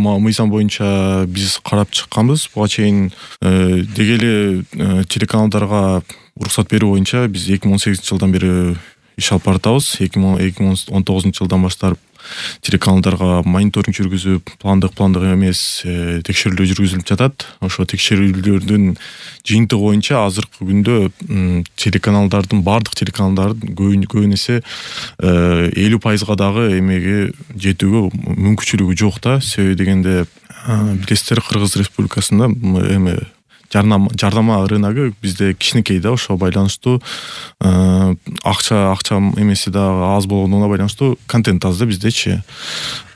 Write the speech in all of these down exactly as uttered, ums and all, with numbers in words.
мыйзам боюнча биз карап чыкканбыз. Буга чейин деги эле телеканалдарга уруксат берүү боюнча биз эки миң он сегизинчи жылдан бери иш алып баратабыз. эки миң он тогузунчу жылдан баштап телеканалдарга мониторинг жүргүзүп, пландык пландык эмес текшерүүлөр жүргүзүлүп жатат. Ошо текшерүүлөрдүн жыйынтыгы боюнча азыркы күндө телеканалдардын бардык телеканалдардын көбүн эсе элүү пайызга дагы эмеге жетүүгө мүмкүнчүлүгү жок да. Себеби дегенде билесиздер, Кыргыз Республикасында эме жардама рыногу бизде кичинекей да, ошого байланыштуу акча акча эмеси да аз болгондугуна байланыштуу контент аз да биздечи.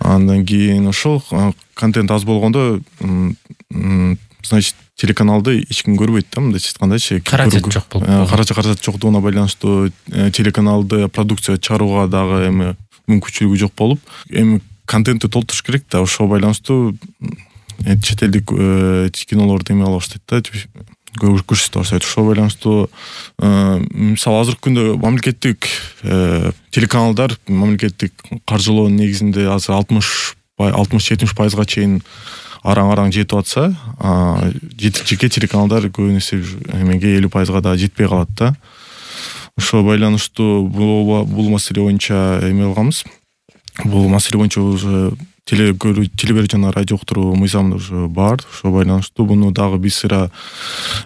Андан кийин ошол контент аз болгондо, значит, телеканалды эч ким көрбөйт да, мындайча айткандачы. Каражат жок болуп. Каражат каражат жоктугуна байланыштуу телеканалды продукция чыгарууга дагы эми мүмкүнчүлүгү жок болуп, эми контентти толтуруш керек да. Ошого байланыштуу чет элдик кинолорду эме ала баштайт да, көрсөтө баштайт. Ошого байланыштуу мисалы азыркы күндө мамлекеттик телеканалдар мамлекеттик каржылоонун негизинде азыр алтымыш жетимиш пайызга чейин араң-араң жетип атса, жеке телеканалдар көбүн эсе эмеге элүү пайызга да жетпей калат да. Ошого байланыштуу бул маселе боюнча эме алганбыз. Бул маселе боюнча уже телеберүү жана радио уктуруу мыйзамы уже бар. Ошого байланыштуу буну дагы бир сыйра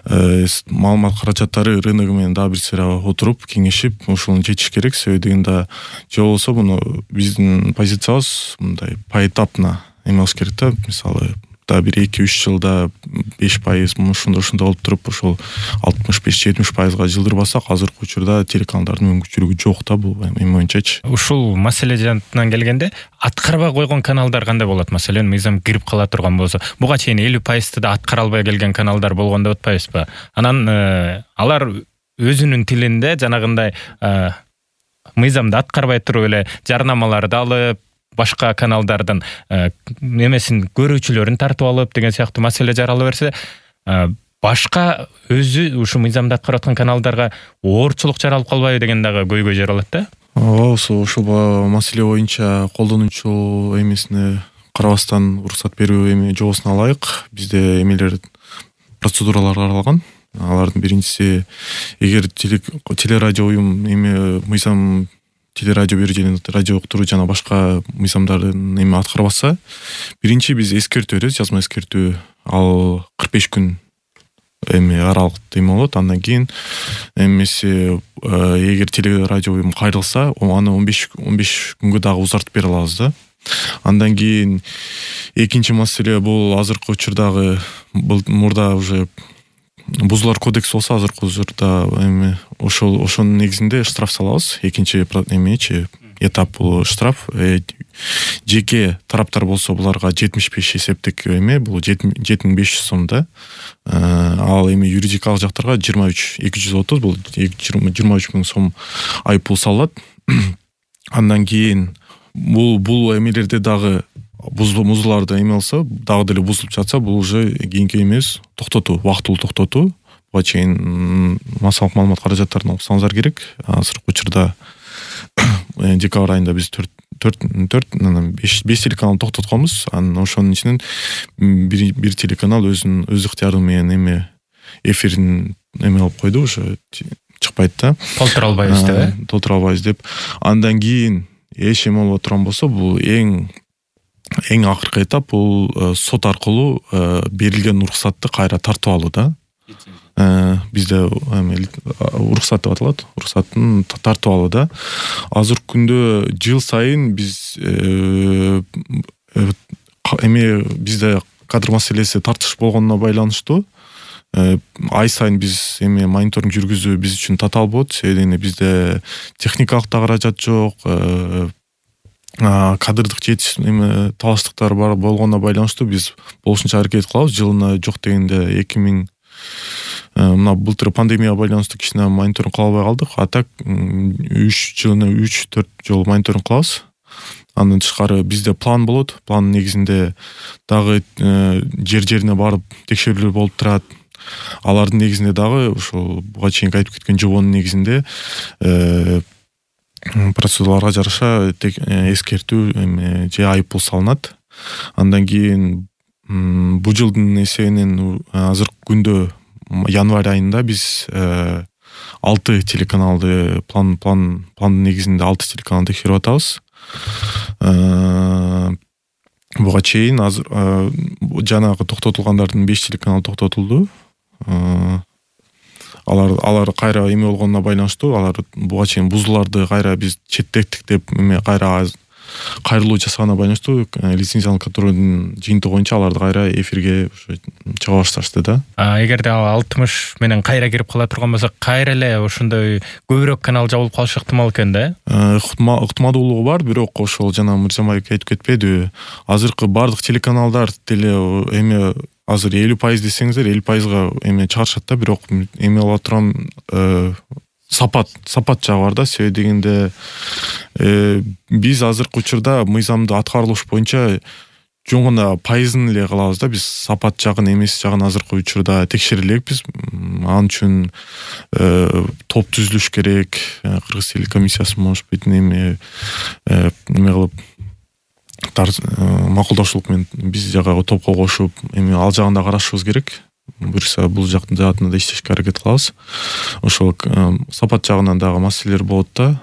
маалымат каражаттары рыногу менен дагы бир сыйра отуруп кеңешип ошону чечиш керек. Себеби дегенде же болбосо буну биздин позициябыз мындай поэтапно эме кылыш керек да. Мисалы бир эки үч жылда беш пайыз ушундай ушундай болуп туруп ошол алтымыш беш жетимиш пайызга жылдырбасак, азыркы учурда телеканалдардын мүмкүнчүлүгү жок да бул эме боюнчачы. Ушул маселе жантынан келгенде аткарбай койгон каналдар кандай болот? Маселен, мыйзам кирип кала турган болсо, буга чейин элүү пайызды да аткара албай келген каналдар болгон деп атпайбызбы? Анан алар өзүнүн тилинде жанагындай мыйзамды аткарбай туруп эле жарнамаларды алып, башка каналдардын эмесин көрүүчүлөрүн тартып алып деген сыяктуу маселе жарала берсе, башка өзү ушу мыйзамды аткарып аткан каналдарга оорчулук жаралып калбайбы деген дагы көйгөй жаралат да. Ооба, ошол маселе боюнча колдонуучу эмесине карабастан уруксат берүү эме жобосуна ылайык бизде эмелер процедуралар каралган. Алардын биринчиси, эгер телерадио уюм эме мыйзам телерадио берүү жана радио уктуруу жана башка мыйзамдардын эме аткарбаса, биринчи биз эскертүү беребиз, жазма эскертүү. Ал кырк беш күн эме аралыкта эме болот. Андан кийин эмеси эгер телерадио уюм кайрылса, аны он беш күнгө дагы узартып бере алабыз да. Андан кийин экинчи маселе бул азыркы учурдагы мурда уже Бузулар кодекси болсо, азыркы учурда эми ошол ошонун негизинде штраф салабыз. Экинчи эмечи этап бул штраф. Жеке тараптар болсо буларга жетимиш беш эсептик эме, бул жети миң беш жүз сом да. Ал эми юридикалык жактарга жыйырма үч эки жүз отуз, бул жыйырма үч миң сом айыппул салат. Андан кийин бул бул эмелерде дагы бузуларды эме алса, дагы деле бузулуп жатса, бул уже кийинки эмес токтотуу, убактылуу токтотуу. Буга чейин массалык маалымат каражаттарын алсаңыздар керек. Азыркы учурда декабрь айында биз төрт беш телеканал токтотконбуз. Анан ошонун ичинен бир телеканал өзүнүн өз ыктыяры менен эме эфирин эме алып койду, ошо чыкпайт да. Толтура албайбыз деп, толтура албайбыз деп. Андан кийин эч эме боло турган болсо, бул эң эң акыркы этап бул сот аркылуу берилген уруксатты кайра тартып алуу да. Бизде уруксат деп аталат. Уруксаттын тартып алуу да. Азыркы күндө жыл сайын биз эме бизде кадр маселеси тартыш болгонуна байланыштуу ай сайын биз эме мониторинг жүргүзүү биз үчүн татаал болот. Себеби бизде техникалык да каражат жок, кадрдык жетиш эме талаштыктар бар болгонуна байланыштуу биз болушунча аракет кылабыз. Жылына жок дегенде эки миң мына былтыр пандемияга байланыштуу кичине мониторинг кыла албай калдык. А так үч жылына үч төрт жолу мониторинг кылабыз. Андан тышкары бизде план болот. Пландын негизинде дагы жер жерине барып текшерүүлөр болуп турат. Алардын негизинде дагы ошол буга чейин айтып кеткен жобонун негизинде процедураларга жараша эскертүү же айыппул салынат. Андан кийин бул жылдын эсебинен азыркы күндө январь айында биз алты телеканалды план план пландын негизинде алты телеканалды текшерип атабыз. Буга чейин азыр жанагы токтотулгандардын беш телеканалы токтотулду. Алар алар кайра эме болгонуна байланыштуу, алар буга чейин бузууларды кайра биз четтеттик деп эме кайра кайрылуу жасаганына байланыштуу лицензиялык контролдун жыйынтыгы боюнча аларды кайра эфирге чыга башташты да. Эгерде алтымыш менен кайра кирип кала турган болсо, кайра эле ошондой көбүрөөк канал жабылып калышы ыктымал экен да. Ыктымалдуулугу бар, бирок ошол жана Мырзамбаев айтып кетпедиби? Азыркы бардык телеканалдар деле эме азыр элүү пайыз десеңиздер, элүү пайызга эме чыгарышат да, бирок эме боло турган сапат сапат жагы бар да. Себеби дегенде биз азыркы учурда мыйзамды аткарылыш боюнча жөн гана пайызын эле кылабыз да. Биз сапат жагын, эмес жагын азыркы учурда текшере элекпиз. Ал үчүн топ түзүлүш керек. Кыргыз телекомиссиясы может быть эме эме кылып макулдашуулук менен биз жагы топко кошуп, эми ал жагын да карашыбыз керек. Буюрса бул жактын жаатында да иштешке аракет кылабыз. Ошол сапат жагынан дагы маселелер болот да.